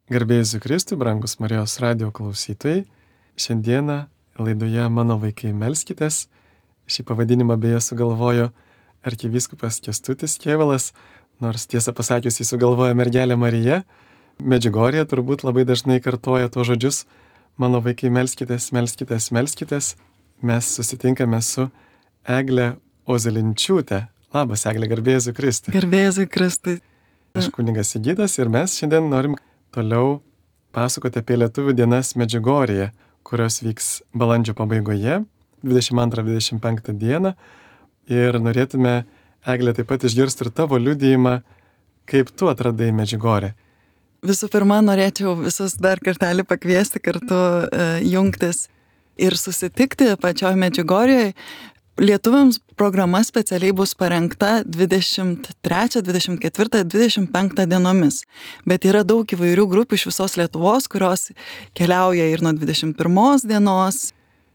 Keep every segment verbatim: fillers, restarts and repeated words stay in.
Garbė Jėzui Kristui, brangus Marijos radijo klausytojai. Šiandieną laidoje Mano vaikai melskitės. Šį pavadinimą beje sugalvojo arkivyskupas Kęstutis Kėvalas, nors tiesą pasakius jis sugalvojo mergelė Marija. Medžiugorje turbūt labai dažnai kartoja tuos žodžius Mano vaikai melskitės, melskitės, melskitės. Mes susitinkame su Egle Ozelinčiūte. Labas, Egle, garbė Jėzui Kristui. Garbė Jėzui Kristui. Aš kunigas Sigitas ir mes šiandien norim toliau pasakoti apie Lietuvių dienas Medžiugorėje, kurios vyks balandžio pabaigoje, dvidešimt antrą dvidešimt penktą dieną. Ir norėtume, Egle, taip pat išgirsti ir tavo liudijimą, kaip tu atradai Medžiugorę. Visų pirma, norėčiau visus dar kartelį pakviesti kartu e, jungtis ir susitikti pačioj Medžiugorėje. Lietuviams programa specialiai bus parengta dvidešimt trečią, dvidešimt ketvirtą, dvidešimt penktą dienomis. Bet yra daug įvairių grupių iš visos Lietuvos, kurios keliauja ir nuo dvidešimt pirmos dienos,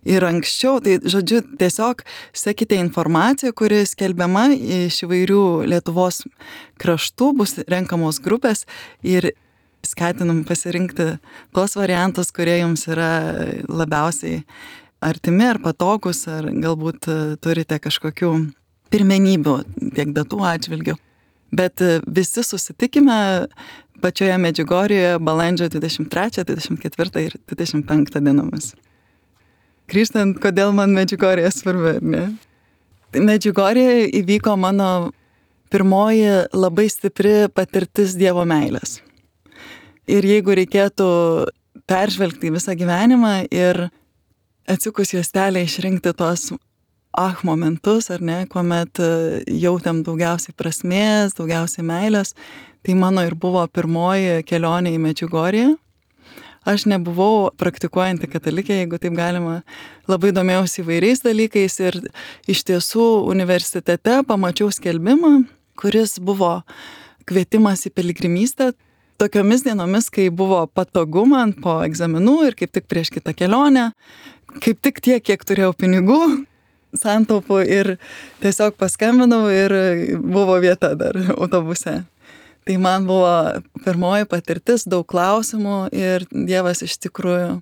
ir anksčiau. Tai, žodžiu, tiesiog sekite informaciją, kuri skelbiama iš įvairių Lietuvos kraštų, bus renkamos grupės ir skatinam pasirinkti tuos variantus, kurie jums yra labiausiai artimi ar patogus, ar galbūt turite kažkokių pirmenybių tiek datų atžvilgių. Bet visi susitikime pačioje Medžiugorėje balandžio dvidešimt trečią, dvidešimt ketvirtą ir dvidešimt penktą dienomis. Grįžtant, kodėl man Medžiugorėje svarbi, ar ne? Medžiugorėje įvyko mano pirmoji labai stipri patirtis Dievo meilės. Ir jeigu reikėtų peržvelgti visą gyvenimą ir atsikus juostelę išrinkti tos ah momentus, ar ne, kuomet jautėm daugiausiai prasmės, daugiausiai meilės, tai mano ir buvo pirmoji kelionė į Medžiugorję. Aš nebuvau praktikuojanti katalikė, jeigu taip galima, labai domėjausi įvairiais dalykais ir iš tiesų universitete pamačiau skelbimą, kuris buvo kvietimas į piligrimystę. Tokiomis dienomis, kai buvo patogu man po egzaminų ir kaip tik prieš kitą kelionę, kaip tik tiek, kiek turėjau pinigų, santaupų ir tiesiog paskambinau ir buvo vieta dar autobuse. Tai man buvo pirmoji patirtis, daug klausimų ir Dievas iš tikrųjų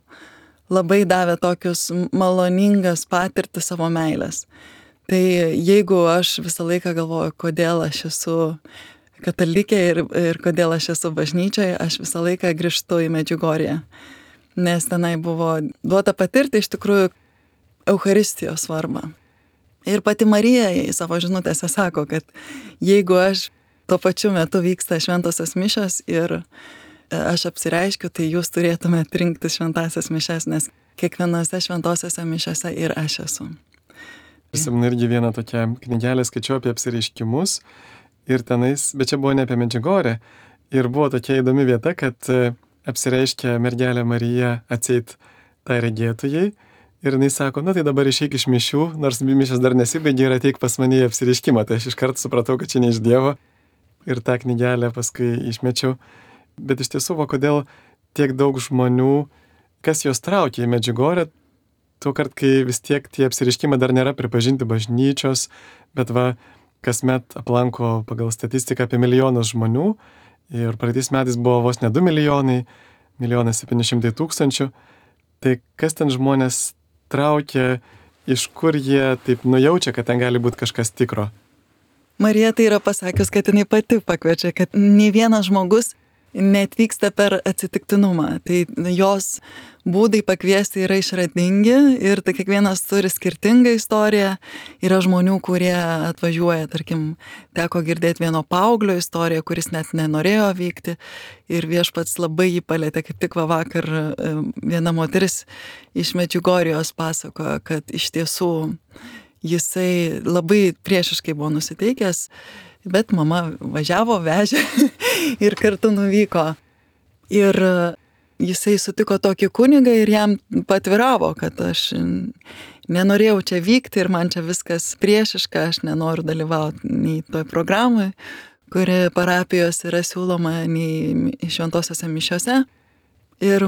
labai davė tokius maloningas patirtis savo meilės. Tai jeigu aš visą laiką galvoju, kodėl aš esu katalikė ir, ir kodėl aš esu bažnyčioje, aš visą laiką grįžtu į Medžiugorję. Nes tenai buvo duota patirti iš tikrųjų Eucharistijos svarbą. Ir pati Marija į savo žinutėse sako, kad jeigu aš tuo pačiu metu vyksta šventosios mišios ir aš apsireiškiu, tai jūs turėtumėte rinktis šventasias mišias, nes kiekvienose šventosiose mišiose ir aš esu. Prisimenu irgi vieną tokią knygelę skaičiau apie apsireiškimus ir tenais, bet čia buvo ne apie Medžiugorę, ir buvo tokia įdomi vieta, kad apsireiškia mergelė Marija atseit tai regėtojai ir jinai sako, nu tai dabar išeik iš mišių, nors mišios dar nesibaigė ir ateik pas mane į apsireiškimą. Tai aš iš karto supratau, kad čia ne iš Dievo ir tą knygelę paskui išmečiau. Bet iš tiesų, va, kodėl tiek daug žmonių, kas jos traukia į Medžiugorę, tuo kart, kai vis tiek tie apsireiškimai dar nėra pripažinti bažnyčios, bet va, kasmet aplanko pagal statistiką apie milijonus žmonių. Ir praeitais metais buvo vos ne du milijonai, milijonas septyni šimtai tūkstančių. Tai kas ten žmonės traukia, iš kur jie taip nujaučia, kad ten gali būti kažkas tikro? Marija tai yra pasakius, kad jinai pati pakviečia, kad nei vienas žmogus neatvyksta per atsitiktinumą. Tai jos būdai pakviesti yra išradingi ir tai kiekvienas turi skirtingą istoriją. Yra žmonių, kurie atvažiuoja, tarkim, teko girdėti vieno paauglio istoriją, kuris net nenorėjo vykti ir viešpats labai jį palėtė. Kaip tik va vakar viena moteris iš Medžiugorijos pasakojo, kad iš tiesų jisai labai priešiškai buvo nusiteikęs, bet mama važiavo, vežė ir kartu nuvyko. Ir jisai sutiko tokį kunigą ir jam patviravo, kad aš nenorėjau čia vykti ir man čia viskas priešiška, aš nenoriu dalyvauti nei toj programai, kuri parapijos yra siūloma, nei šventosiose mišiose. Ir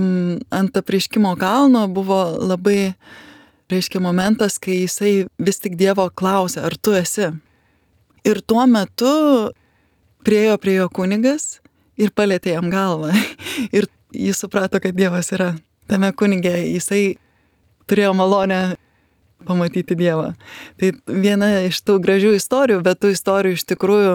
ant apreiškimo kalno buvo labai, reiškia, momentas, kai jisai vis tik Dievo klausė, ar tu esi? Ir tuo metu priėjo prie jo kunigas ir palėtė jam galvą. Ir jis suprato, kad Dievas yra tame kunige, jisai turėjo malonę pamatyti Dievą. Tai viena iš tų gražių istorijų, bet tų istorijų iš tikrųjų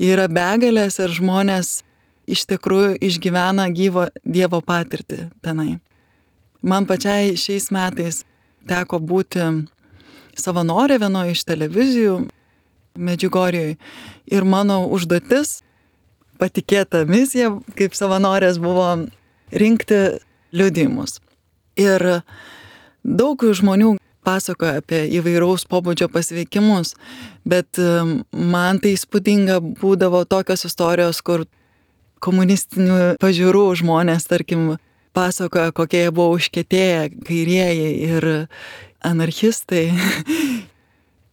yra begalės ir žmonės iš tikrųjų išgyvena gyvo Dievo patirtį tenai. Man pačiai šiais metais teko būti savanorė vienoje iš televizijų Medžiugorjoj ir mano užduotis, patikėta misija, kaip savanorės buvo rinkti liudijimus. Ir daug žmonių pasakoja apie įvairaus pobūdžio pasveikimus, bet man tai įspūdinga būdavo tokios istorijos, kur komunistinių pažiūrų žmonės, tarkim, pasakoja, kokie jie buvo užkietėję kairieji ir anarchistai,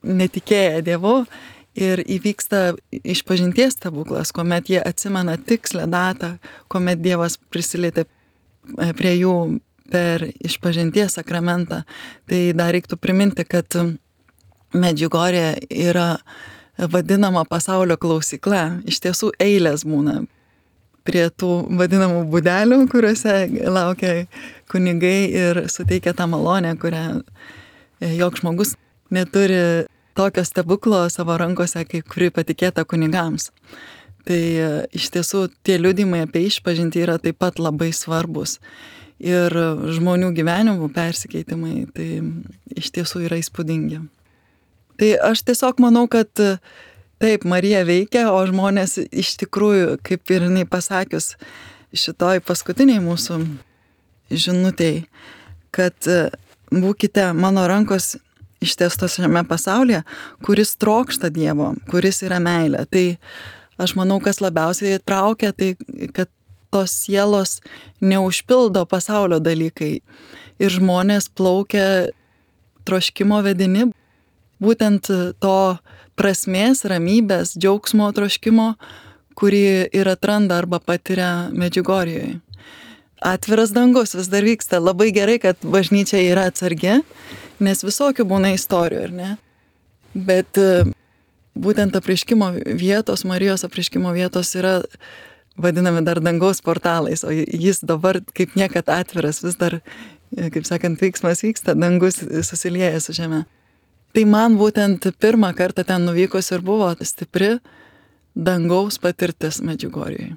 netikėję Dievu. Ir įvyksta išpažinties stebuklas, kuomet jie atsimena tikslę datą, kuomet Dievas prisilietė prie jų per išpažinties sakramentą. Tai dar reiktų priminti, kad Medžiugorje yra vadinama pasaulio klausykla. Iš tiesų eilės būna prie tų vadinamų būdelių, kuriuose laukia kunigai ir suteikia tą malonę, kurią joks žmogus neturi tokio stebuklo savo rankose, kaip kuri patikėta kunigams. Tai iš tiesų tie liudijimai apie išpažintį yra taip pat labai svarbus. Ir žmonių gyvenimų persikeitimai, tai iš tiesų yra įspūdingi. Tai aš tiesiog manau, kad taip, Marija veikia, o žmonės iš tikrųjų, kaip ir jinai pasakius šitoj paskutiniai mūsų žinutėj, kad būkite mano rankos ištiestos šiame pasaulyje, kuris trokšta Dievo, kuris yra meilė. Tai aš manau, kas labiausiai traukia, tai kad tos sielos neužpildo pasaulio dalykai. Ir žmonės plaukia troškimo vedini, būtent to prasmės, ramybės, džiaugsmo troškimo, kurį ir atranda arba patiria Medžiugorjoje. Atviras dangus vis dar vyksta. Labai gerai, kad bažnyčia yra atsargi, nes visokių būna istorijų, ar ne? Bet būtent apreiškimo vietos, Marijos apreiškimo vietos yra vadinami dar dangaus portalais, o jis dabar kaip niekad atviras, vis dar, kaip sakant, veiksmas vyksta, dangus susilieja su žeme. Tai man būtent pirmą kartą ten nuvykus ir buvo stipri dangaus patirtis Medžiugorjoje.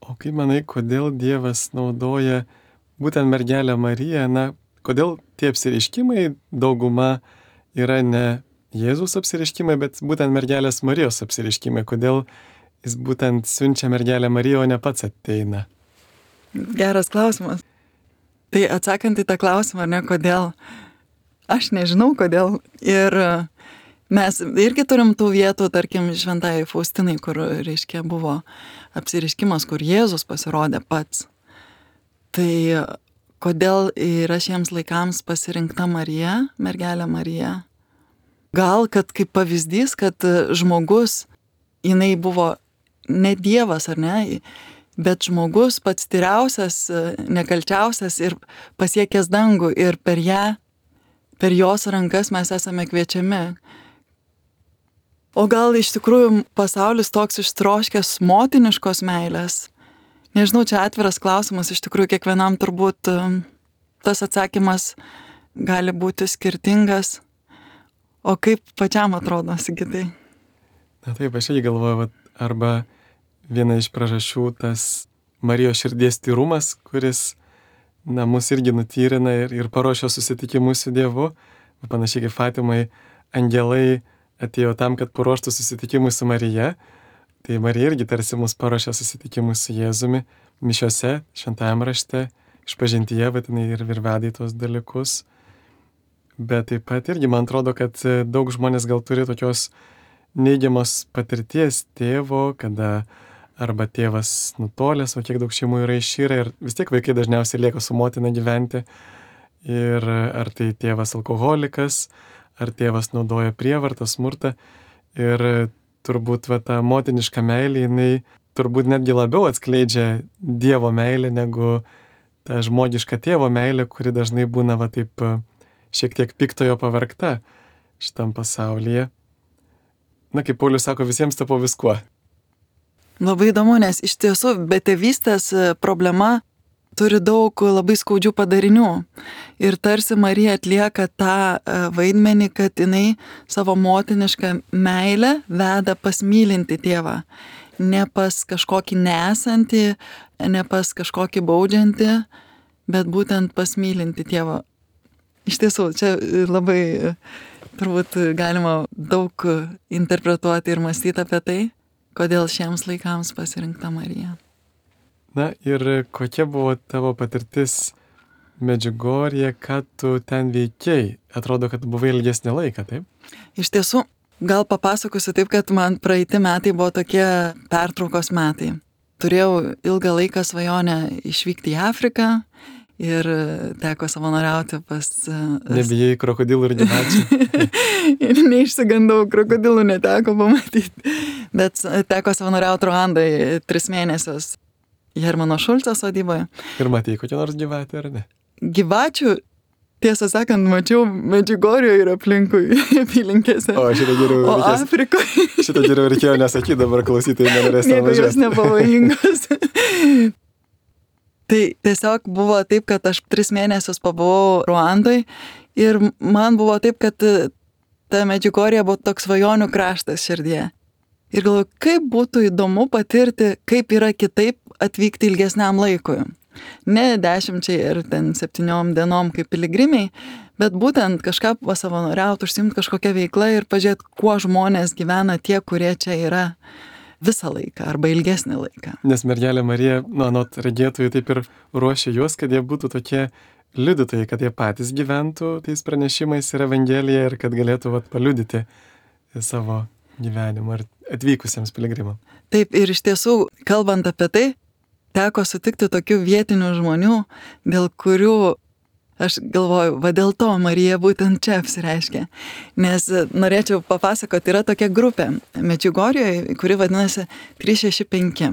O kaip manai, kodėl Dievas naudoja būtent mergelę Mariją, na, kodėl tie apsireiškimai dauguma yra ne Jėzus apsireiškimai, bet būtent mergelės Marijos apsireiškimai, kodėl jis būtent siunčia mergelę Mariją, o ne pats ateina? Geras klausimas. Tai atsakant į tą klausimą, ar ne, kodėl, aš nežinau kodėl. Ir mes irgi turim tų vietų, tarkim, Šventajai Faustinai, kur, reiškia, buvo apsireiškimas, kur Jėzus pasirodė pats. Tai kodėl yra šiems laikams pasirinkta Marija, mergelė Marija? Gal, kad kaip pavyzdys, kad žmogus, jinai buvo ne Dievas, ar ne, bet žmogus pats tyriausias, nekalčiausias ir pasiekęs dangų, ir per ją, per jos rankas mes esame kviečiami. O gal iš tikrųjų pasaulis toks ištroškęs motiniškos meilės? Nežinau, čia atviras klausimas, iš tikrųjų kiekvienam turbūt tas atsakymas gali būti skirtingas. O kaip pačiam atrodo, Sigitai? Na taip, aš irgi galvoju, arba viena iš priežasčių tas Marijos širdies tyrumas, kuris, na, mus irgi nutyrina ir, ir paruošia susitikimus su Dievu. Panašiai kaip Fatimai, angelai atėjo tam, kad paruoštų susitikimus su Marija. Tai Marija irgi tarsi mus paruošia susitikimus su Jėzumi mišiose, šventajame rašte, išpažintyje, bet jinai ir veda į tuos dalykus. Bet taip pat irgi man atrodo, kad daug žmonės gal turi tokios neigiamos patirties tėvo, kada arba tėvas nutolęs, o kiek daug šeimų yra išyra ir vis tiek vaikai dažniausiai lieka su motina gyventi. Ir ar tai tėvas alkoholikas, ar tėvas naudoja prievartą, smurtą. Ir turbūt va, ta motiniška meilė, jinai turbūt netgi labiau atskleidžia Dievo meilę negu ta žmogiška tėvo meilė, kuri dažnai būna va taip šiek tiek piktojo pavergta šitam pasaulyje. Na, kaip Paulius sako, visiems tapo viskuo. Labai įdomu, nes iš tiesų betėvystės problema turi daug labai skaudžių padarinių. Ir tarsi Marija atlieka tą vaidmenį, kad jinai savo motinišką meilę veda pas mylinti tėvą. Ne pas kažkokį nesantį, ne pas kažkokį baudžiantį, bet būtent pas mylinti tėvą. Iš tiesų, čia labai turbūt galima daug interpretuoti ir mąstyti apie tai, kodėl šiems laikams pasirinkta Marija. Na ir kokia buvo tavo patirtis Medžiugorje, ką tu ten veikiai? Atrodo, kad buvai ilgesnį laiką, taip? Iš tiesų, gal papasakosiu taip, kad man praeiti metai buvo tokie pertraukos metai. Turėjau ilgą laiką svajonę išvykti į Afriką ir teko savanoriauti pas... Nebijai krokodilų ir gyvačių? Ir neišsigandau, krokodilų neteko pamatyti. Bet teko savanoriauti Ruandai tris mėnesius Hermano Šulco sodyboje. Ir matei kokią nors gyvatę, ar ne? Gyvačių, tiesą sakant, mačiau Medžiugorjoje ir aplinkui apylinkėse. O, šitą geriau o reikės. Afrikoje. Šitą geriau reikėjo nesakyti, dabar klausytojai nenorės ten važiuoti. Nieko jos nepavojingos. Tai tiesiog buvo taip, kad aš tris mėnesius pabuvau Ruandoj ir man buvo taip, kad ta Medžiugorje buvo toks svajonių kraštas širdie. Ir galvoju, kaip būtų įdomu patirti, kaip yra kitaip atvykti ilgesniam laikui. Ne dešimčiai ir ten septyniom dienom kaip piligrimiai, bet būtent kažką pasavanoriauti, užsiimti kažkokią veiklą ir pažiūrėti, kuo žmonės gyvena tie, kurie čia yra visą laiką arba ilgesnį laiką. Nes mergelė Marija, nu, anot regėtojų taip ir ruošia juos, kad jie būtų tokie liudytojai, kad jie patys gyventų tais pranešimais ir Evangelija ir kad galėtų vat, paliudyti savo gyvenimą ar atvykusiems piligrimams. Taip, ir iš tiesų, kalbant apie tai, teko sutikti tokių vietinių žmonių, dėl kurių aš galvoju, va dėl to Marija būtent čia apsireiškia. Nes norėčiau papasakoti, yra tokia grupė Medžiugorjoje, kuri vadinasi trys šeši penki.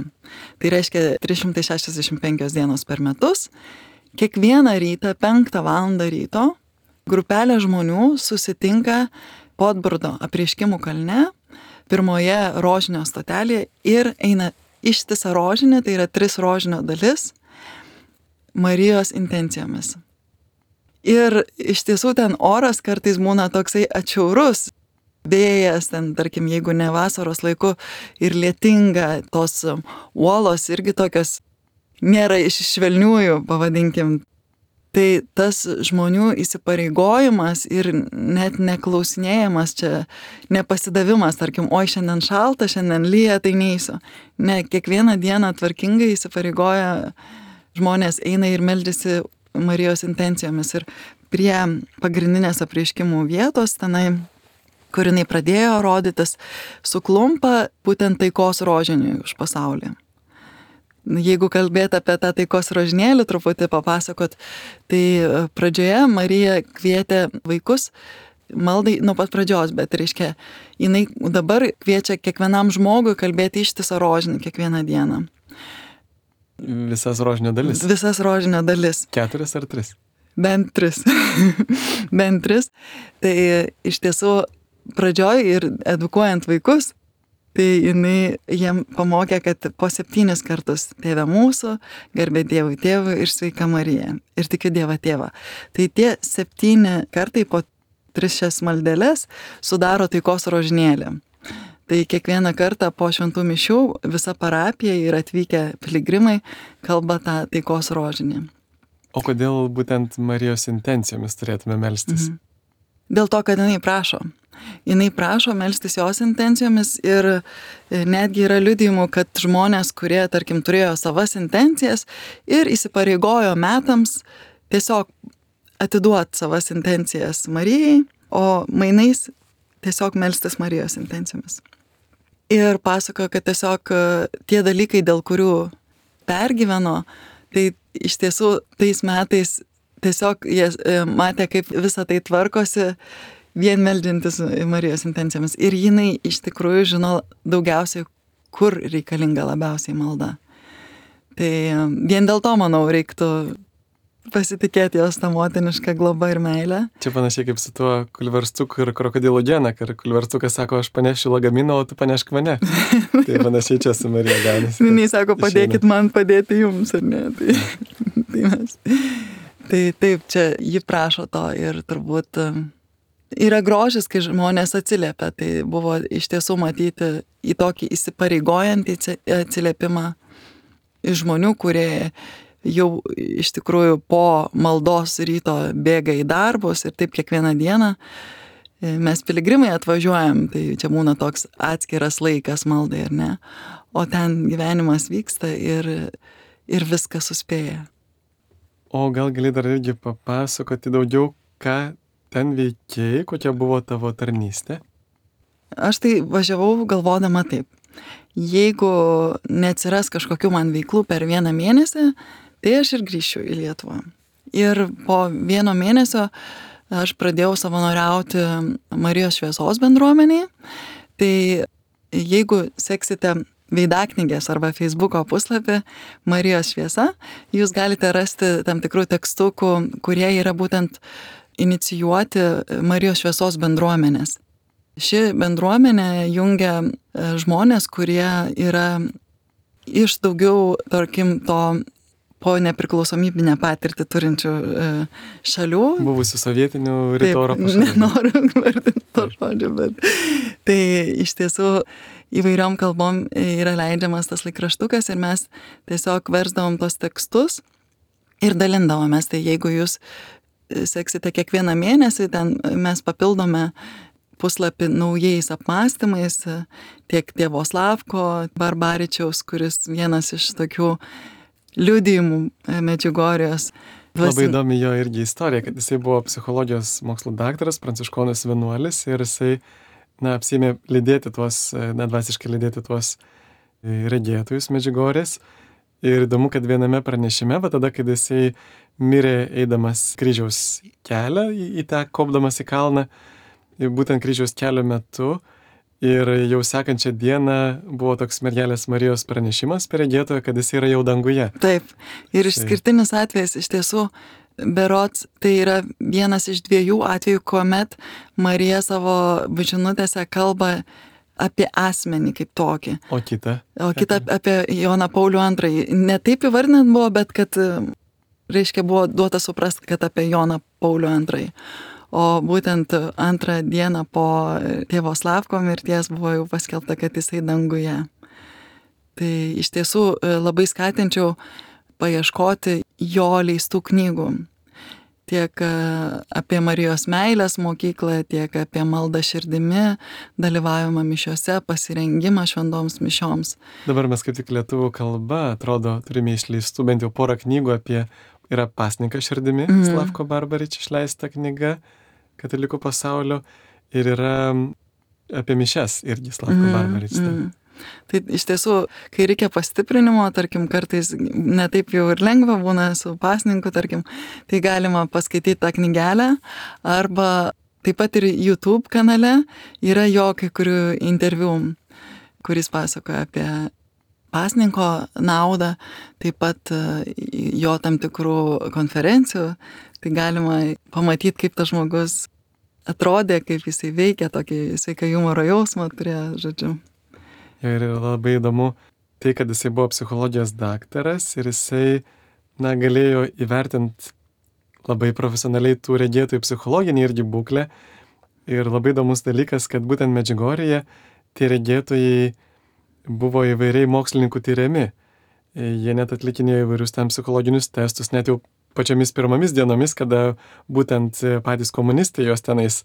Tai reiškia trys šimtai šešiasdešimt penkios dienos per metus. Kiekvieną rytą, penktą valandą ryto, grupelė žmonių susitinka Podburdo apreiškimų kalne, pirmoje rožinio stotelėje ir eina ištisą rožinį, tai yra tris rožinio dalis, Marijos intencijomis. Ir iš tiesų ten oras kartais būna toksai atšiaurus, vėjas, ten, tarkim, jeigu ne vasaros laiku ir lietinga, tos uolos irgi tokios nėra iš švelniųjų, pavadinkim. Tai tas žmonių įsipareigojimas ir net neklausinėjimas čia, nepasidavimas, tarkim, oi šiandien šalta, šiandien lyja, tai neįsiu. Ne, kiekvieną dieną tvarkingai įsipareigoja žmonės, eina ir meldžiasi Marijos intencijomis ir prie pagrindinės apreiškimų vietos, tenai, kur jinai pradėjo rodytis, suklumpa būtent taikos rožiniui už pasaulį. Jeigu kalbėti apie tą taikos rožinėlį, truputį papasakot, tai pradžioje Marija kvietė vaikus maldai nuo pat pradžios, bet reiškia, jinai dabar kviečia kiekvienam žmogui kalbėti ištisą rožinį kiekvieną dieną. Visas rožinio dalis? Visas rožinio dalis. Keturis ar tris? Bent tris. Bent tris. Tai iš tiesų pradžioj ir edukuojant vaikus, tai jinai jiem pamokė, kad po septynis kartus Tėve mūsų, garbė Dievui Tėvui ir sveika Marija. Ir tikiu Dievą Tėvą. Tai tie septyni kartai po tris šias maldeles sudaro taikos rožinėlį. Tai kiekvieną kartą po šventų mišių visa parapija ir atvykę piligrimai kalba tą taikos rožinį. O kodėl būtent Marijos intencijomis turėtume melstis? Mhm. Dėl to, kad jinai prašo. Jinai prašo melstis jos intencijomis ir netgi yra liudijimų, kad žmonės, kurie, tarkim, turėjo savas intencijas ir įsipareigojo metams tiesiog atiduoti savas intencijas Marijai, o mainais tiesiog melstis Marijos intencijomis. Ir pasakojo, kad tiesiog tie dalykai, dėl kurių pergyveno, tai iš tiesų tais metais tiesiog jie matė, kaip visą tai tvarkosi vien meldžiantis Marijos intencijomis. Ir jinai iš tikrųjų žino daugiausiai, kur reikalinga labiausiai malda. Tai vien dėl to, manau, reiktų pasitikėti jos tą motinišką globą ir meilę. Čia panašiai kaip su tuo kulverstuku ir krokodilo gena, kai kulverstukas sako, aš panešiu lagaminą, o tu panešk mane. Tai panašiai čia su Marija gaunasi. Jinai sako, padėkit man padėti jums, ar ne? Tai tai mes. Tai taip, čia ji prašo to ir turbūt yra grožis, kai žmonės atsiliepia. Tai buvo iš tiesų matyti į tokį įsipareigojantį atsiliepimą iš žmonių, kurie jau iš tikrųjų po maldos ryto bėga į darbus ir taip kiekvieną dieną. Mes piligrimai atvažiuojam, tai čia būna toks atskiras laikas maldai, ar ne? O ten gyvenimas vyksta ir, ir viskas suspėja. O gal gali dar irgi papasakoti daugiau, ką ten veikėjai, kokia buvo tavo tarnystė? Aš tai važiavau galvodama taip. Jeigu neatsiras kažkokių man veiklų per vieną mėnesį, tai aš ir grįšiu į Lietuvą. Ir po vieno mėnesio aš pradėjau savanoriauti Marijos šviesos bendruomenėje. Tai jeigu seksite veidaknygės arba Facebooko puslapį Marijos šviesa, jūs galite rasti tam tikrų tekstukų, kurie yra būtent inicijuoti Marijos šviesos bendruomenės. Ši bendruomenė jungia žmonės, kurie yra iš daugiau, tarkim, to po nepriklausomybinę patirtį turinčių šalių. Buvusių sovietinių rytų Europos šalių. Nenoriu vardinti to žodžio, bet tai iš tiesų įvairiom kalbom yra leidžiamas tas laikraštukas ir mes tiesiog versdavom tos tekstus ir dalindavomės. Tai jeigu jūs seksite kiekvieną mėnesį, ten mes papildome puslapį naujais apmąstymais, tiek tėvo Slavko Barbaričiaus, kuris vienas iš tokių liudijimų Medžiugorijos. Labai įdomi jo irgi istorija, kad jisai buvo psichologijos mokslo daktaras, pranciškonas vienuolis ir jisai, na, apsėmė lydėti tuos, na, dvasiškai lydėti tuos regėtojus Medžiugorės. Ir įdomu, kad viename pranešime, va tada, kai jisai mirė eidamas kryžiaus kelią, į, į tą kopdamas į kalną, būtent kryžiaus kelio metu, ir jau sekančią dieną buvo toks mergelės Marijos pranešimas per regėtoją, kad jis yra jau danguje. Taip. Ir išskirtinis atvejis iš tiesų, berods, tai yra vienas iš dviejų atvejų, kuomet Marija savo žinutėse kalba apie asmenį kaip tokį. O kita? O kita apie Joną Paulių antrąjį. Ne taip įvardinant buvo, bet kad, reiškia, buvo duota suprasti, kad apie Joną Paulių antrąjį. O būtent antrą dieną po tėvo Slavko mirties buvo jau paskelbta, kad jisai danguje. Tai iš tiesų labai skatinčiau paieškoti jo leistų knygų. Tiek apie Marijos meilės mokyklą, tiek apie maldą širdimi, dalyvavimą mišiose, pasirengimą šventoms mišioms. Dabar mes kaip tik lietuvių kalba, atrodo, turime išleistų bent jau porą knygų apie, yra Pasninkas širdimi, mm. Slavko Barbarič išleista knyga katalikų pasaulio, ir yra apie mišias irgi Slavko mm, Barbarič. Mm. Tai iš tiesų, kai reikia pastiprinimo, tarkim, kartais netaip jau ir lengva būna su pasninku, tarkim, tai galima paskaityti tą knygelę, arba taip pat ir YouTube kanale yra jo kai kurių interviu, kuris pasakoja apie pasninko naudą, taip pat jo tam tikrų konferencijų, tai galima pamatyti, kaip tas žmogus atrodė, kaip jisai veikia, tokį sveiką humoro jausmą turėjo, žodžiu. Ir labai įdomu tai, kad jisai buvo psichologijos daktaras ir jisai, na, galėjo įvertinti labai profesionaliai tų regėtojų psichologinį irgi būklę. Ir labai įdomus dalykas, kad būtent Medžiugorėje tie regėtojai buvo įvairiai mokslininkų tyriami. Jie net atlikinėjo įvairius tam psichologinius testus, net jau pačiomis pirmomis dienomis, kada būtent patys komunistai jos tenais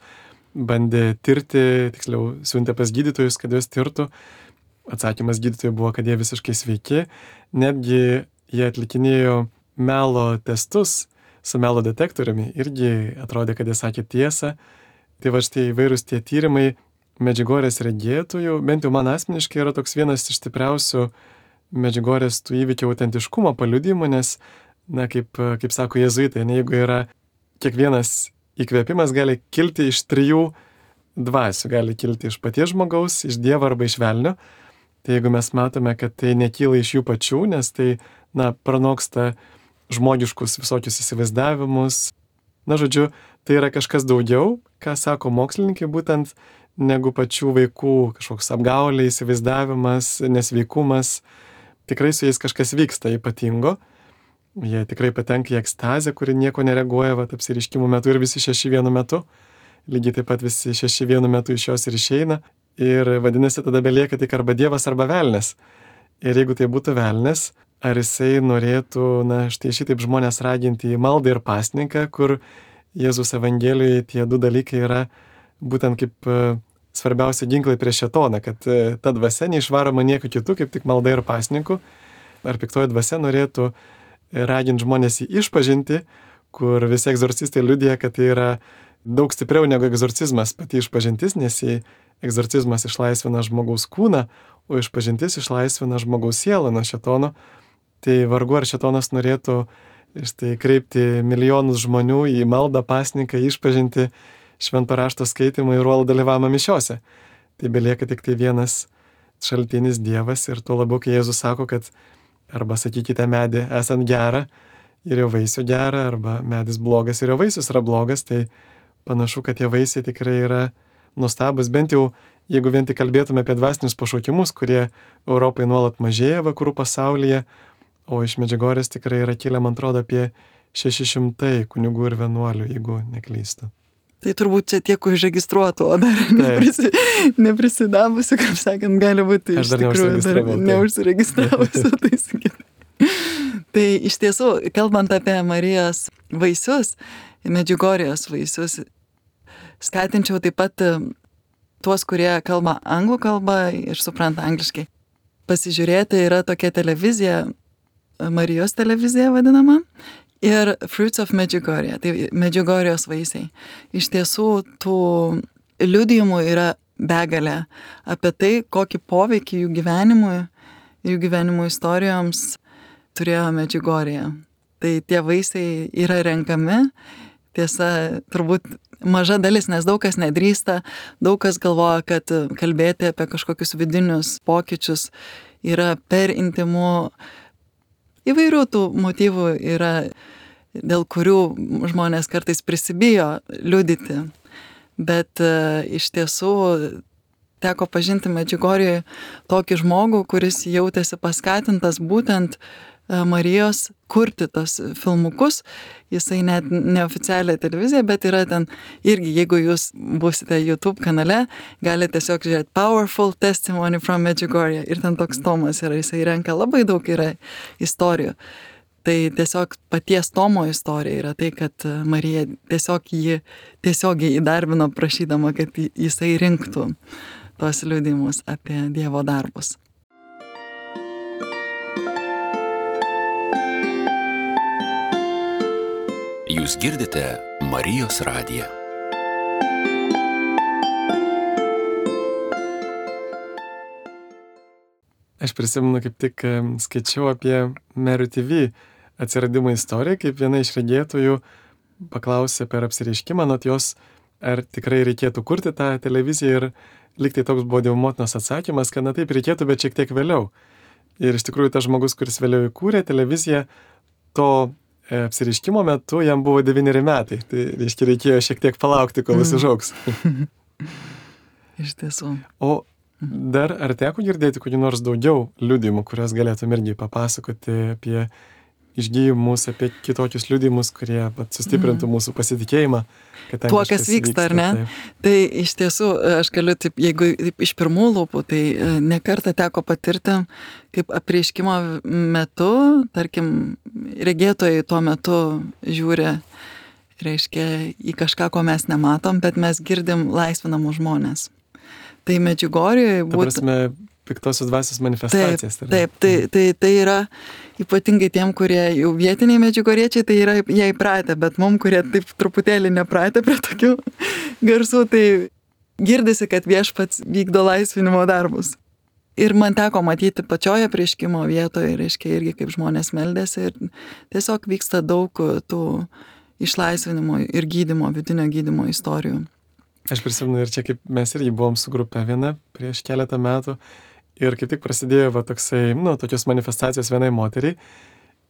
bandė tirti, tiksliau siuntė pas gydytojus, kad jos tirtų. Atsakymas gydytojų buvo, kad jie visiškai sveiki. Netgi jie atlikinėjo melo testus su melo detektoriumi, irgi atrodė, kad jie sakė tiesą. Tai va štai įvairūs tie tyrimai Medžiugorės regėtojų, bent jau man asmeniškai yra toks vienas iš stipriausių Medžiugorės tų įvykių autentiškumo paliudijimų, nes, na, kaip, kaip sako jėzuitai, ne, jeigu yra kiekvienas įkvėpimas gali kilti iš trijų dvasių, gali kilti iš paties žmogaus, iš Dievo arba iš velnio. Tai jeigu mes matome, kad tai nekyla iš jų pačių, nes tai, na, pranoksta žmogiškus visokius įsivaizdavimus. Na, žodžiu, tai yra kažkas daugiau, ką sako mokslininkai, būtent negu pačių vaikų kažkoks apgaulė, įsivaizdavimas, nesveikumas. Tikrai su jais kažkas vyksta ypatingo. Jie tikrai patenka į ekstazę, kuri nieko nereaguoja vat, apsireiškimų metu ir visi šeši vienu metu. Lygiai taip pat visi šeši vienu metu iš jos ir išeina. Ir vadinasi, tada belieka tik arba Dievas, arba velnias. Ir jeigu tai būtų velnias, ar jisai norėtų, na, štai šitaip žmonės raginti į maldą ir pasninką, kur Jėzus Evangelijoje tie du dalykai yra būtent kaip svarbiausia ginklai prieš šėtoną, kad ta dvasia neišvaroma nieko kitų, kaip tik malda ir pasninku. Ar piktoji dvasia norėtų raginti žmonės į išpažinti, kur visi egzorcistai liudija, kad tai yra daug stipriau negu egzorcizmas pati išpažintis, nes egzorcizmas išlaisvina žmogaus kūną, o išpažintis išlaisvina žmogaus sielą nuo šėtono. Tai vargu ar šėtonas norėtų štai kreipti milijonus žmonių į maldą, pasninką, išpažinti, švento rašto skaitimą ir uolų dalyvavimą mišiose. Tai belieka tik tai vienas šaltinis Dievas ir tuo labiau, kai Jėzus sako, kad arba sakykite medį esant gerą ir jo vaisių gerą, arba medis blogas ir jo vaisius yra blogas, tai panašu, kad tie vaisiai tikrai yra nuostabus, bent jau jeigu vien tik kalbėtume apie dvasinius pašaukimus, kurie Europai nuolat mažėja vakarų pasaulyje, o iš Medžiugorjės tikrai yra kilę, man atrodo, apie šeši šimtai kunigų ir vienuolių, jeigu neklystu. Tai turbūt čia tiek užregistruotų, o dar neprisi, neprisidavusi, kaip sakant, gali būti iš tikrųjų dar neužsiregistravusi. Tai, sakyti. Tai iš tiesų, kalbant apie Marijos vaisius, Medžiugorjės vaisius, skatinčiau taip pat tuos, kurie kalba anglų kalbą ir supranta angliškai. Pasižiūrėti, yra tokia televizija, Marijos televizija vadinama, ir Fruits of Medjugorje, tai Medžiugorjės vaisiai. Iš tiesų, tų liudijimų yra begalė apie tai, kokį poveikį jų gyvenimui, jų gyvenimų istorijoms turėjo Medžiugorje. Tai tie vaisiai yra renkami, tiesa, turbūt maža dalis, nes daug kas nedrįsta, daug kas galvoja, kad kalbėti apie kažkokius vidinius pokyčius yra per intimu. Įvairių tų motyvų yra, dėl kurių žmonės kartais prisibijo liudyti, bet uh, iš tiesų teko pažinti Medžiugorjėje tokį žmogų, kuris jautėsi paskatintas būtent uh, Marijos kurti tos filmukus. Jisai net neoficialią televiziją, bet yra ten irgi, jeigu jūs būsite YouTube kanale, galite tiesiog žiūrėti Powerful Testimony from Medjugorje ir ten toks tomas yra, jisai renka labai daug yra istorijų. Tai tiesiog paties Tomo istorija yra tai, kad Marija tiesiog jį tiesiogiai įdarbino prašydama, kad jisai rinktų tos liudijimus apie Dievo darbus. Jūs girdite Marijos radiją. Aš prisimenu, kaip tik skaičiau apie Mary T V atsiradimo istoriją, kaip viena iš regėtojų paklausė per apsireiškimą nuo jos, ar tikrai reikėtų kurti tą televiziją, ir liktai toks buvo Dievo motinos atsakymas, kad na taip reikėtų, bet šiek tiek vėliau. Ir iš tikrųjų tas žmogus, kuris vėliau įkūrė televiziją, to apsireiškimo metu jam buvo devyneri metai. Tai reiškia, reikėjo šiek tiek palaukti, kol jis užaugs. Iš tiesų. O dar ar teko girdėti kokį nors daugiau liudijimų, kurias galėtum irgi papasakoti apie išgyjimus, apie kitokius liudijimus, kurie pat sustiprintų mm. mūsų pasitikėjimą. Tuo, kas vyksta, vyksta, ar ne? Taip. Tai iš tiesų, aš galiu, taip, jeigu taip, iš pirmų lūpų, tai ne kartą teko patirti, kaip apreiškimo metu, tarkim, regėtojai tuo metu žiūri, reiškia, į kažką, ko mes nematom, bet mes girdim laisvinamų žmonės. Tai Medžiugorjėje būtų... Ta prasme, piktosios dvasios manifestacijas. Taip, taip tai, tai, tai yra ypatingai tiem, kurie jau vietiniai medžiugoriečiai, tai yra jie įpratę, bet mum, kurie taip truputėlį nepratę prie tokių garsų, tai girdisi, kad viešpats vykdo laisvinimo darbus. Ir man teko matyti pačioje apreiškimo vietoje, reiškia, irgi kaip žmonės meldėsi, ir tiesiog vyksta daug tų išlaisvinimo ir gydymo, vidinio gydymo istorijų. Aš prisimenu, ir čia kaip mes irgi buvom su grupe viena prieš keletą metų, ir kaip tik prasidėjo va toksai, nu, tokios manifestacijos vienai moteriai,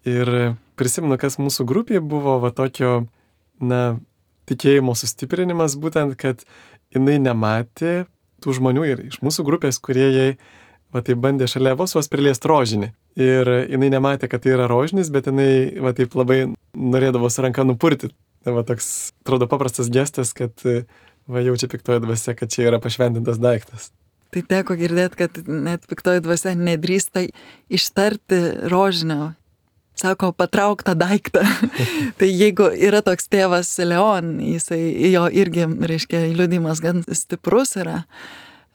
ir prisimenu, kas mūsų grupėje buvo va tokio, na, tikėjimo sustiprinimas, būtent, kad jinai nematė tų žmonių ir iš mūsų grupės, kurie jai va tai bandė šalia vos vos priliest rožinį. ir jinai nematė, kad tai yra rožinis, bet jinai va taip labai norėdavo su ranka nupurti. Tai va toks, atrodo, paprastas gestas, kad va jaučia piktoji dvasia, kad čia yra pašventintas daiktas. Tai teko girdėti, kad net piktoji dvasia nedrįsta ištarti rožinio. Sako, patrauk tą daiktą. Tai jeigu yra toks tėvas Leon, jisai, jo irgi, reiškia, liudijimas gan stiprus yra.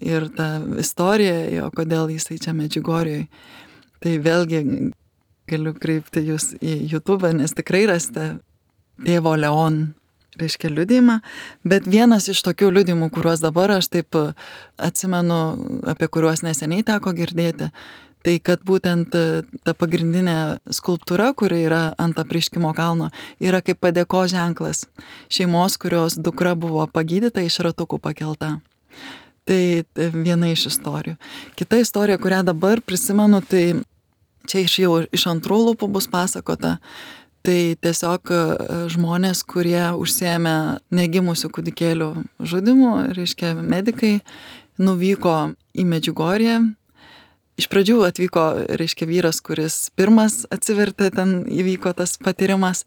Ir ta istorija, jo, kodėl jisai čia Medžiugorjoj. Tai vėlgi galiu kreipti jūs į YouTube, nes tikrai rasite tėvo Leon, reiškia, liudijimą. Bet vienas iš tokių liudijimų, kuriuos dabar aš taip atsimenu, apie kuriuos neseniai teko girdėti, tai kad būtent ta pagrindinė skulptūra, kuri yra ant apreiškimo kalno, yra kaip padėkos ženklas šeimos, kurios dukra buvo pagydyta, iš ratukų pakelta. Tai viena iš istorijų. Kita istorija, kurią dabar prisimenu, tai čia iš jau iš antrų lūpų bus pasakota. Tai tiesiog žmonės, kurie užsiėmė negimusių kūdikėlių žudimu, reiškia medikai, nuvyko į Medžiugorję. Iš pradžių atvyko, reiškia, vyras, kuris pirmas atsivertė, ten įvyko tas patyrimas,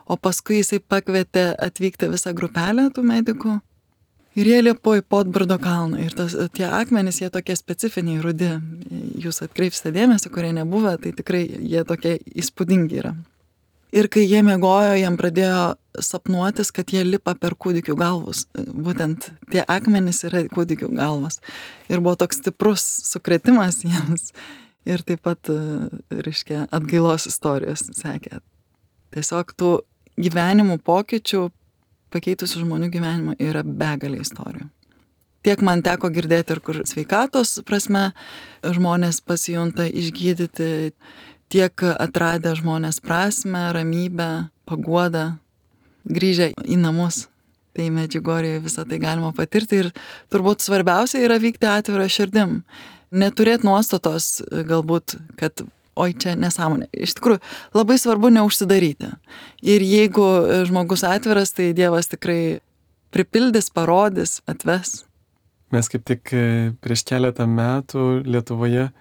o paskui jisai pakvietė atvykti visą grupelę tų medikų. Ir jie lipo į Podbrdo kalną. Ir tas, tie akmenys, jie tokie specifiniai, rudi. Jūs atkreipsite dėmesį, kurie nebuvę, tai tikrai jie tokie įspūdingi yra. Ir kai jie miegojo, jiem pradėjo sapnuotis, kad jie lipa per kūdikių galvus. Būtent tie akmenys yra kūdikių galvos. Ir buvo toks stiprus sukretimas jiems. Ir taip pat, reiškia, atgailos istorijos sekė. Tiesiog tų gyvenimų pokyčių, pakeitusių žmonių gyvenimą yra begalė istorijų. Tiek man teko girdėti ir kur sveikatos prasme žmonės pasijunta išgydyti, tiek atradę žmonės prasmę, ramybę, paguodą, grįžę į namus. Tai Medžiugorjėje visą tai galima patirti ir turbūt svarbiausia yra vykti atvirą širdim. Neturėti nuostatos galbūt, kad oi čia nesąmonė. Iš tikrųjų, labai svarbu neužsidaryti. Ir jeigu žmogus atviras, tai Dievas tikrai pripildys, parodys, atves. Mes kaip tik prieš keletą metų Lietuvoje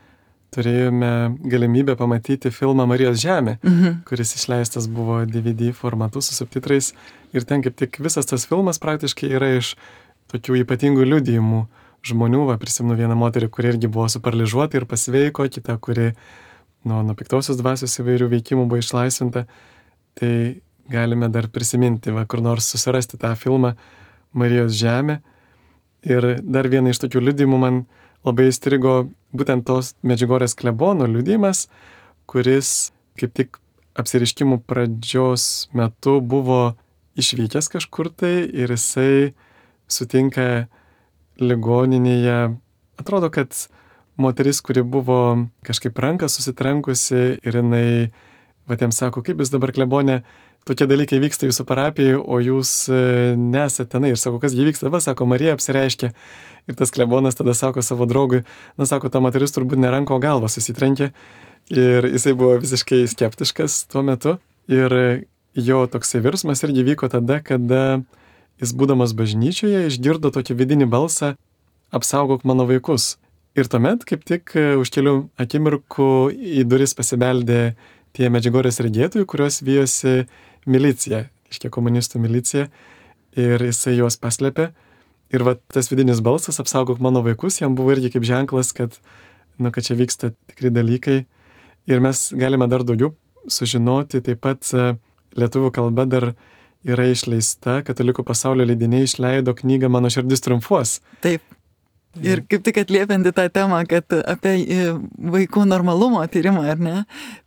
turėjome galimybę pamatyti filmą Marijos žemė, mhm. kuris išleistas buvo D V D formatu su subtitrais. Ir ten kaip tik visas tas filmas praktiškai yra iš tokių ypatingų liudijimų žmonių. Va, prisimenu vieną moterį, kuri irgi buvo suparlyžuota ir pasveiko, kita, kuri nuo, nuo piktosios dvasios įvairių veikimų buvo išlaisvinta. Tai galime dar prisiminti, va, kur nors susirasti tą filmą Marijos žemė. Ir dar viena iš tokių liudijimų man labai įstrigo būtent tos Medžiugorjės klebono liudijimas, kuris kaip tik apsireiškimų pradžios metu buvo išvykęs kažkur tai ir jisai sutinka ligoninėje. Atrodo, kad moteris, kuri buvo kažkaip ranką susitrenkusi ir jinai, va, tiem sako, kaip jūs dabar klebonė, tokie dalykai vyksta jūsų parapijai, o jūs nesate tenai. Ir sako, kas jį vyksta, va, sako, Marija apsireiškė. Ir tas klebonas tada sako savo draugui, na, sako, ta moteris turbūt ne ranko galvą susitrenkė. Ir jisai buvo visiškai skeptiškas tuo metu. Ir jo toksai virsmas irgi vyko tada, kada jis būdamas bažnyčioje išgirdo tokį vidinį balsą, apsaugok mano vaikus. Ir tuomet kaip tik už kelių akimirkų į duris pasibeldė tie Medžiugorjės regėtojai, kurios vijosi milicija, iškia komunistų milicija, ir jisai juos paslėpė. Ir va tas vidinis balsas, apsaugok mano vaikus, jam buvo irgi kaip ženklas, kad, nu, kad čia vyksta tikri dalykai. Ir mes galime dar daugiau sužinoti, taip pat lietuvių kalba dar yra išleista, Katalikų pasaulio leidiniai išleido knygą Mano širdis triumfuos. Taip. Ir kaip tik atliepianti tą temą, kad apie vaikų normalumo tyrimą, ar ne?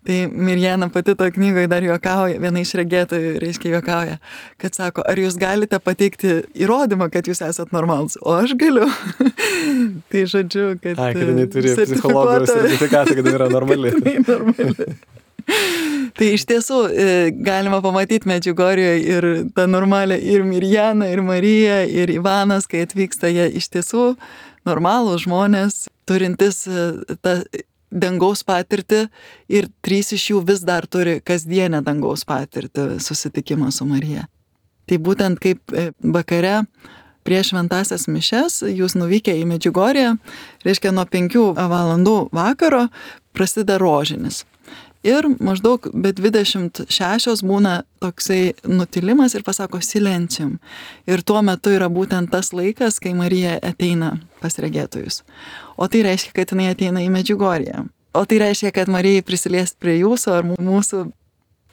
Tai Mirjana pati to knygoje dar juokauja, viena iš regėtojų, reiškia, juokauja, kad sako, ar jūs galite pateikti įrodymą, kad jūs esat normalus? O aš galiu. Tai žodžiu, kad... Ai, kad jinai turi psichologijos sertifikatą, kad yra normali. normali. Tai iš tiesų galima pamatyti Medžiugorjėje ir tą normalią ir Mirjaną, ir Mariją, ir Ivanas, kai atvyksta jie iš tiesų normalūs žmonės, turintis tą dangaus patirtį, ir trys iš jų vis dar turi kasdienę dangaus patirtį, susitikimą su Marija. Tai būtent kaip vakare prieš šventąsias mišias jūs nuvykę į Medžiugorję, reiškia nuo penkių valandų vakaro prasideda rožinis. Ir maždaug be dvidešimt šešios būna toksai nutilimas ir pasako silencium. Ir tuo metu yra būtent tas laikas, kai Marija ateina pas regėtojus. O tai reiškia, kad jinai ateina į Medžiugorję. O tai reiškia, kad Marijai prisiliesti prie jūsų ar mūsų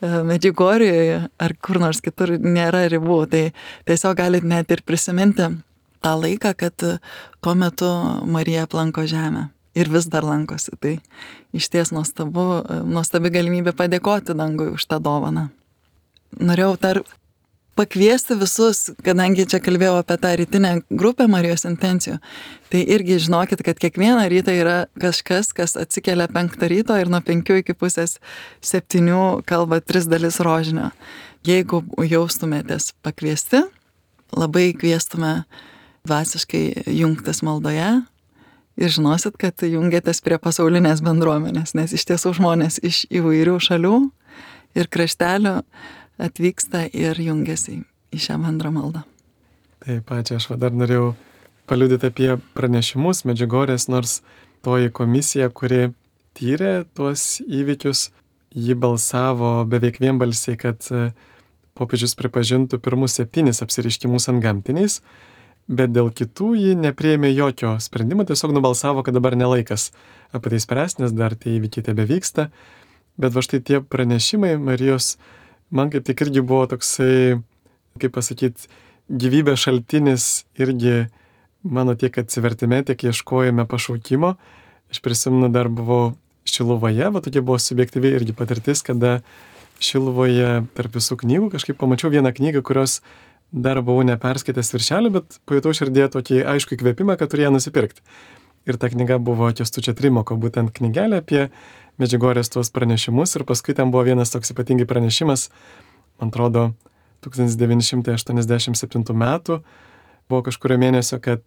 Medžiugorjoje ar kur nors kitur nėra ribų. Tai tiesiog galit net ir prisiminti tą laiką, kad tuo metu Marija aplanko žemę. Ir vis dar lankosi. Tai išties nuostabu, nuostabi galimybė padėkoti dangui už tą dovaną. Norėjau dar pakviesti visus, kadangi čia kalbėjau apie tą rytinę grupę Marijos intencijų, tai irgi žinokit, kad kiekvieną rytą yra kažkas, kas atsikelia penktą ryto ir nuo penkių iki pusės septynių kalba tris dalis rožinio. Jeigu jaustumėtės pakviesti, labai kviestume dvasiškai jungtis maldoje, ir žinosit, kad jungiatės prie pasaulinės bendruomenės, nes iš tiesų žmonės iš įvairių šalių ir kraštelių atvyksta ir jungiasi į šią bendrą maldą. Taip, ačiū, aš dar norėjau paliudyti apie pranešimus Medžiugorės, nors toji komisija, kuri tyrė tuos įvykius, ji balsavo beveik vienbalsiai, kad popiežius pripažintų pirmus septynis apsireiškimus antgamtiniais, bet dėl kitų ji nepriėmė jokio sprendimo, tiesiog nubalsavo, kad dabar nelaikas apie tai spręsti, nes dar tie įvykiai tebevyksta. Bet va štai tie pranešimai Marijos, man kaip tik irgi buvo toksai, kaip pasakyti, gyvybės šaltinis irgi mano tiek atsivertime, tiek ieškojame pašaukimo. Aš prisimenu, dar buvau Šiluvoje, va tokia buvo subjektyviai irgi patirtis, kada Šiluvoje tarp visų knygų kažkaip pamačiau vieną knygą, kurios dar buvau neperskaitęs viršelį, bet pajutau širdėje tokį aišku įkvėpimą, kad turėjau nusipirkti. Ir ta knyga buvo Kęstučio Trimoko, būtent knygelė apie Medžiugorės tuos pranešimus, ir paskui ten buvo vienas toks ypatingai pranešimas, man atrodo, tūkstantis devyni šimtai aštuoniasdešimt septintų metų, buvo kažkurio mėnesio, kad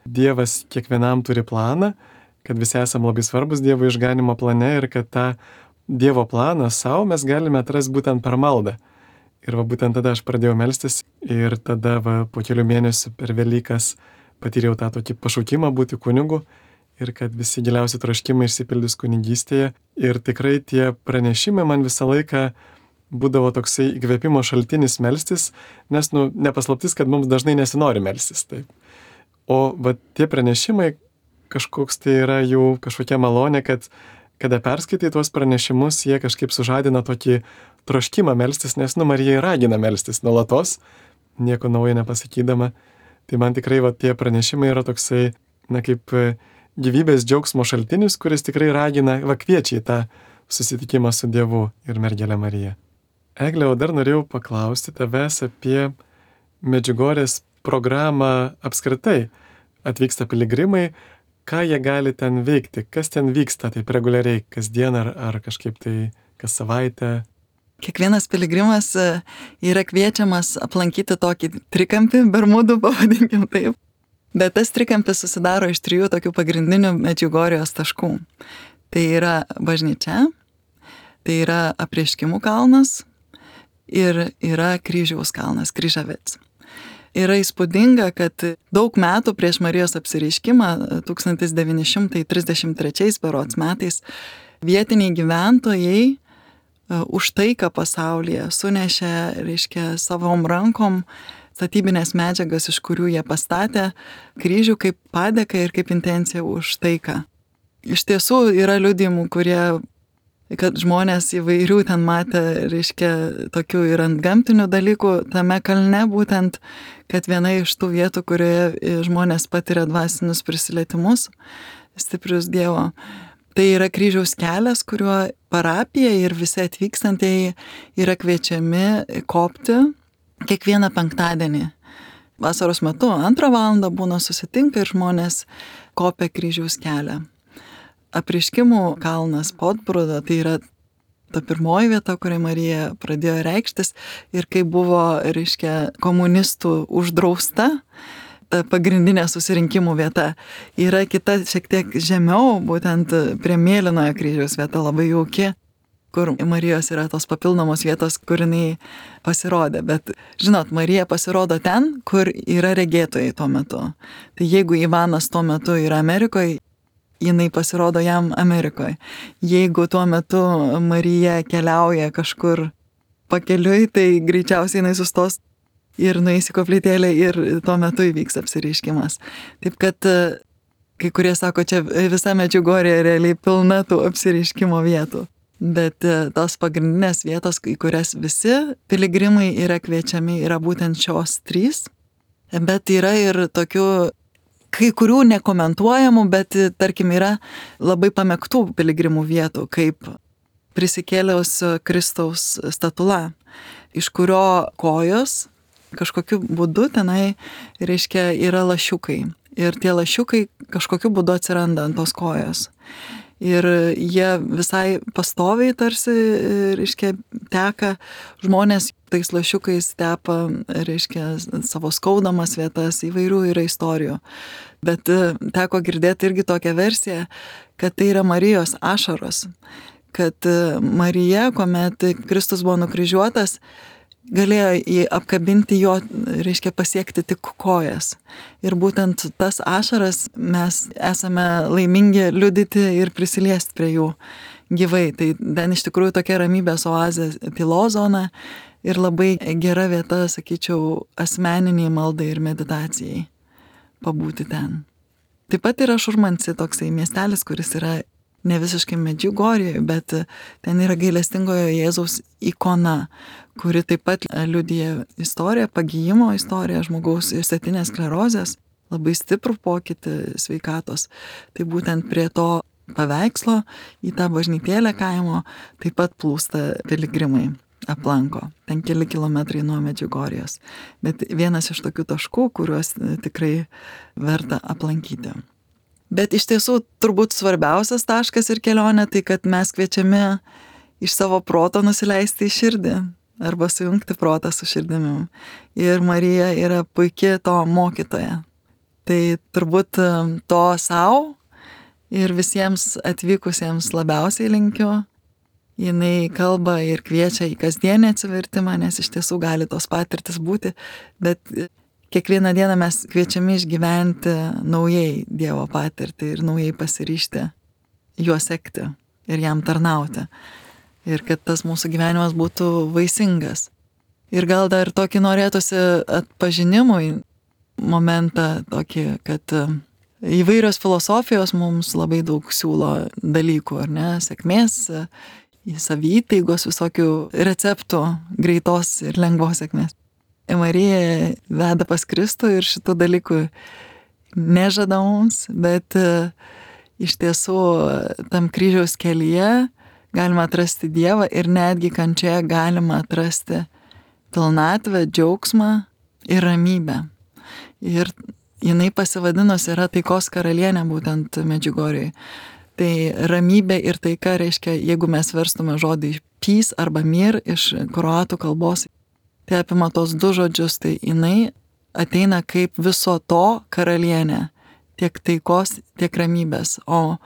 Dievas kiekvienam turi planą, kad visi esam labai svarbus Dievo išganimo plane ir kad tą Dievo planą savo mes galime atrasti būtent per maldą. Ir va būtent tada aš pradėjau melstis ir tada va po kelių mėnesių per Velykas patyriau tą tokį pašaukimą būti kunigu ir kad visi giliausi troškimai išsipildys kunigystėje. Ir tikrai tie pranešimai man visą laiką būdavo toksai įkvėpimo šaltinis melstis, nes nu, nepaslaptis, kad mums dažnai nesinori melstis. Taip. O va tie pranešimai kažkoks tai yra jų kažkokia malonė, kad kada perskaitai tuos pranešimus, jie kažkaip sužadina tokį troškimą melstis, nes nu Marija ragina melstis nuolatos, nieko naujo nepasakydama. Tai man tikrai va tie pranešimai yra toksai, na kaip gyvybės džiaugsmo šaltinis, kuris tikrai ragina, va kviečia į tą susitikimą su Dievu ir mergelė Marija. Egle, o dar norėjau paklausti tavęs apie Medžiugorės programą apskritai. Atvyksta piligrimai, ką jie gali ten veikti, kas ten vyksta, taip reguliariai, kasdien ar, ar kažkaip tai kas savaitę. Kiekvienas piligrimas yra kviečiamas aplankyti tokį trikampį, Bermudų pavadinkim taip. Bet tas trikampis susidaro iš trijų tokių pagrindinių Medžiugorijos taškų. Tai yra bažnyčia, tai yra Apreiškimų kalnas ir yra Kryžiaus kalnas, Kryžavets. Yra įspūdinga, kad daug metų prieš Marijos apsireiškimą, tūkstantis devyni šimtai trisdešimt trečiais berods metais, vietiniai gyventojai už taiką pasaulyje sunešė, reiškia, savom rankom statybinės medžiagas, iš kurių jie pastatė kryžių kaip padėką ir kaip intenciją už taiką. Iš tiesų yra liudijimų, kurie, kad žmonės įvairių ten matė, reiškia, tokių ir antgamtinių dalykų tame kalne, būtent, kad viena iš tų vietų, kurioje žmonės patiria dvasinius prisilietimus, stiprius Dievo. Tai yra kryžiaus kelias, kuriuo parapija ir visi atvykstantieji yra kviečiami kopti kiekvieną penktadienį. Vasaros metu antrą valandą būna susitinka ir žmonės kopia kryžiaus kelią. Apreiškimų kalnas Podbrudo, tai yra ta pirmoji vieta, kurioje Marija pradėjo reikštis ir kai buvo, reiškia, komunistų uždrausta, ta pagrindinė susirinkimų vieta. Yra kita šiek tiek žemiau, būtent prie Mėlynojo kryžiaus vieta, labai jauki, kur Marijos yra tos papildomos vietos, kur jinai pasirodė. Bet, žinot, Marija pasirodo ten, kur yra regėtojai tuo metu. Tai jeigu Ivanas tuo metu yra Amerikoje, jinai pasirodo jam Amerikoje. Jeigu tuo metu Marija keliauja kažkur pakeliui, tai greičiausiai jinai sustos ir nueis į koplytėlę ir tuo metu įvyks apsireiškimas. Taip kad kai kurie sako, čia visa Medžiugorje realiai pilna tų apsireiškimo vietų. Bet tos pagrindinės vietos, į kurias visi piligrimai yra kviečiami, yra būtent šios trys. Bet yra ir tokių, kai kurių nekomentuojamų, bet tarkim yra labai pamėgtų piligrimų vietų, kaip prisikėliaus Kristaus statula, iš kurio kojos kažkokiu būdu tenai, reiškia, yra lašiukai. Ir tie lašiukai kažkokiu būdu atsiranda ant tos kojos. Ir jie visai pastoviai tarsi, reiškia, teka, žmonės tais lašiukais tepa, reiškia, savo skaudamas vietas, įvairių yra istorijų. Bet teko girdėti irgi tokią versiją, kad tai yra Marijos ašaros, kad Marija, kuomet Kristus buvo nukryžiuotas, galėjo jį apkabinti jo, reiškia, pasiekti tik kojas. Ir būtent tas ašaras mes esame laimingi liudyti ir prisiliesti prie jų gyvai. Tai ten iš tikrųjų tokia ramybės oazė, tylos zona ir labai gera vieta, sakyčiau, asmeniniai maldai ir meditacijai pabūti ten. Taip pat yra Šurmanci, toksai miestelis, kuris yra ne visiškai Medžiugorjėje, bet ten yra gailestingojo Jėzaus ikona, kuri taip pat liudija istoriją, pagijimo istoriją žmogaus išsėtinės sklerozės, labai stiprų pokytį sveikatos. Tai būtent prie to paveikslo į tą bažnytėlę kaimo taip pat plūsta piligrimai, aplanko. Ten keli kilometrai nuo Medžiugorjės. Bet vienas iš tokių taškų, kuriuos tikrai verta aplankyti. Bet iš tiesų turbūt svarbiausias taškas ir kelionė tai, kad mes kviečiami iš savo proto nusileisti į širdį arba sujungti protą su širdimi. Ir Marija yra puikia to mokytoja. Tai turbūt to savo ir visiems atvykusiems labiausiai linkiu. Jinai kalba ir kviečia į kasdienį atsivertimą, nes iš tiesų gali tos patirtis būti, bet kiekvieną dieną mes kviečiami išgyventi naujai Dievo patirtį ir naujai pasiryžti juo sekti ir jam tarnauti. Ir kad tas mūsų gyvenimas būtų vaisingas. Ir gal dar tokį norėtųsi atpažinimui momentą tokį, kad įvairios filosofijos mums labai daug siūlo dalykų, ar ne, sėkmės, savyteigos visokių receptų, greitos ir lengvos sėkmės. Marija veda pas Kristų ir šitų dalykų nežada mums, bet iš tiesų tam kryžiaus kelyje galima atrasti Dievą ir netgi kančioje galima atrasti pilnatvę, džiaugsmą ir ramybę. Ir jinai pasivadinusi yra taikos karalienė būtent Medžiugorjėje. Tai ramybė ir taika reiškia, jeigu mes verstume žodį peace arba mir iš kroatų kalbos, tai apima tos du žodžius, tai jinai ateina kaip viso to karalienė, tiek taikos, tiek ramybės, o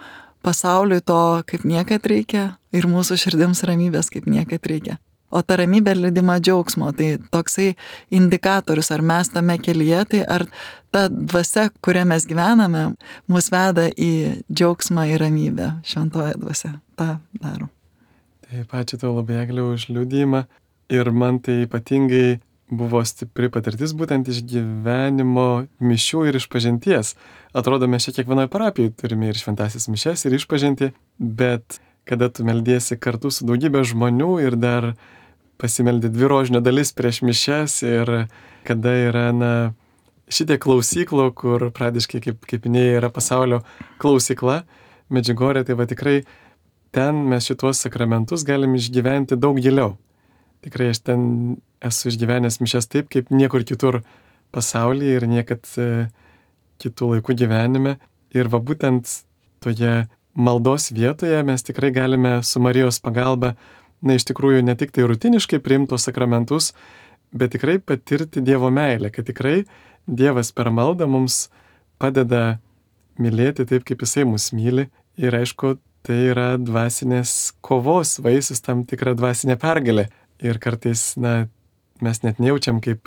pasauliui to kaip niekad reikia ir mūsų širdims ramybės kaip niekad reikia. O ta ramybė lydima džiaugsmo, tai toksai indikatorius, ar mes tame kelyje, tai ar ta dvasia, kurią mes gyvename, mus veda į džiaugsmą ir ramybę, šventoje dvasia. Ta daro. Taip, ačiū tau labai, Egle, už liudijimą. Ir man tai ypatingai buvo stipri patirtis būtent iš gyvenimo mišių ir išpažinties. Atrodo, mes čia kiekvienoje parapijoje turime ir šventasis mišes, ir išpažinti, bet kada tu meldiesi kartu su daugybė žmonių ir dar pasimeldi dvi rožinio dalis prieš mišes ir kada yra, na, šitie klausyklo, kur pradiškai, kaip, kaip minėjai, yra pasaulio klausykla, Medžiugorje, tai va tikrai ten mes šituos sakramentus galim išgyventi daug giliau. Tikrai aš ten esu išgyvenęs mišes taip, kaip niekur kitur pasaulyje ir niekad e, kitų laikų gyvenime. Ir va būtent toje maldos vietoje mes tikrai galime su Marijos pagalba, na iš tikrųjų ne tik tai rutiniškai priimti tos sakramentus, bet tikrai patirti Dievo meilę, kad tikrai Dievas per maldą mums padeda mylėti taip, kaip Jisai mus myli. Ir aišku, tai yra dvasinės kovos vaisius, tam tikra dvasinė pergalė. Ir kartais, na, mes net nejaučiam, kaip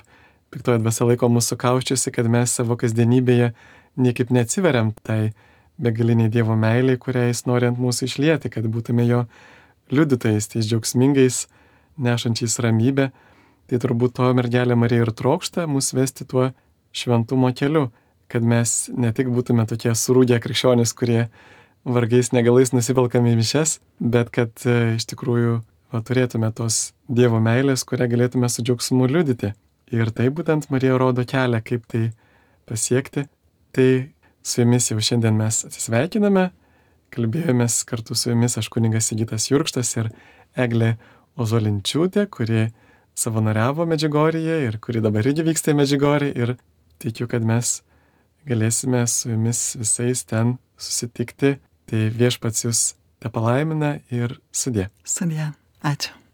piktoji dvasia laiko mūsų kauščiusi, kad mes savo kasdienybėje niekaip neatsiveriam tai begaliniai Dievo meiliai, kurią jis nori ant mūsų išlieti, kad būtume jo liudytojais, tais džiaugsmingais, nešančiais ramybę. Tai turbūt to mergelė Marija ir trokšta mus vesti tuo šventumo keliu, kad mes ne tik būtume tokie surūgę krikščionys, kurie vargais negalais nusivelkame į mišes, bet kad e, iš tikrųjų va, turėtume tos Dievo meilės, kurią galėtume su džiaugsmu liudyti. Ir tai būtent Marija rodo kelią, kaip tai pasiekti. Tai su jumis jau šiandien mes atsisveikiname, kalbėjomės kartu su jumis aš kunigas Sigitas Jurkštas ir Eglė Ozolinčiūtė, kuri savanoriavo Medžiugorjėje ir kuri dabar irgi vyksta į Medžiugorję, ir tikiu, kad mes galėsime su jumis visais ten susitikti. Tai viešpats jūs tepalaimina ir sudie. Sudie. Ačiū.